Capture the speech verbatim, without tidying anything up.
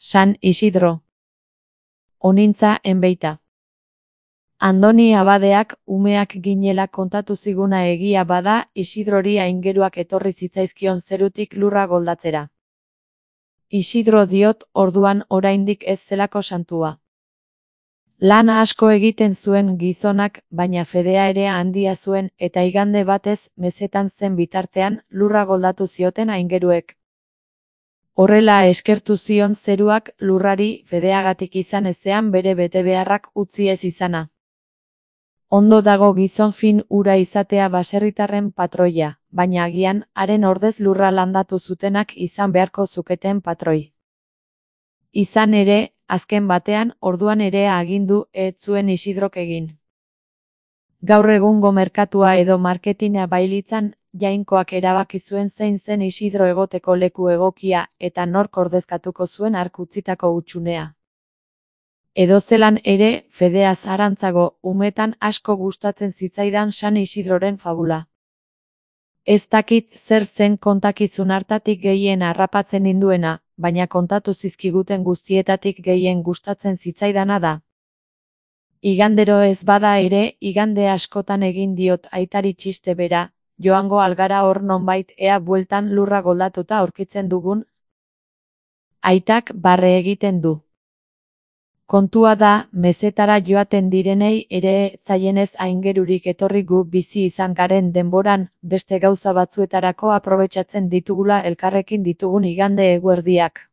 San Isidro. Onintza enbeita. Andoni abadeak umeak ginela kontatu ziguna egia bada Isidrori aingeruak etorri zitzaizkion zerutik lurra goldatzera. Isidro diot orduan oraindik ez zelako santua. Lan asko egiten zuen gizonak, baina fedea ere handia zuen eta igande batez mezetan zen bitartean lurra goldatu zioten aingeruek. Horrela eskertu zion zeruak lurrari fedeagatik izan ezean bere betebeharrak utzi ez izana. Ondo dago gizon fin ura izatea baserritarren patroia, baina agian haren ordez lurra landatu zutenak izan beharko zuketen patroi. Izan ere, azken batean orduan ere agindu ez zuen Isidrok egin. Gaur egungo merkatua edo marketina bailitzan, Jainkoak erabaki zuen zein zen Isidro egoteko leku egokia eta nork ordezkatuko zuen hark utzitako hutsunea. Edozelan ere, fedeaz harantzago, umetan asko gustatzen zitzaidan San Isidroren fabula. Ez dakit zer zen kontakizun hartatik gehien harrapatzen ninduena, baina kontatu zizkiguten guztietatik gehien gustatzen zitzaidana da. Igandero ez bada ere, igande askotan egin diot aitari txiste bera, joango algara hor nonbait ea bueltan lurra goldatuta aurkitzen dugun. Aitak barre egiten du. Kontua da, mezetara joaten direnei ere zaienez aingerurik etorri gu bizi izan garen denboran, beste gauza batzuetarako aprobetxatzen ditugula elkarrekin ditugun igande eguerdiak.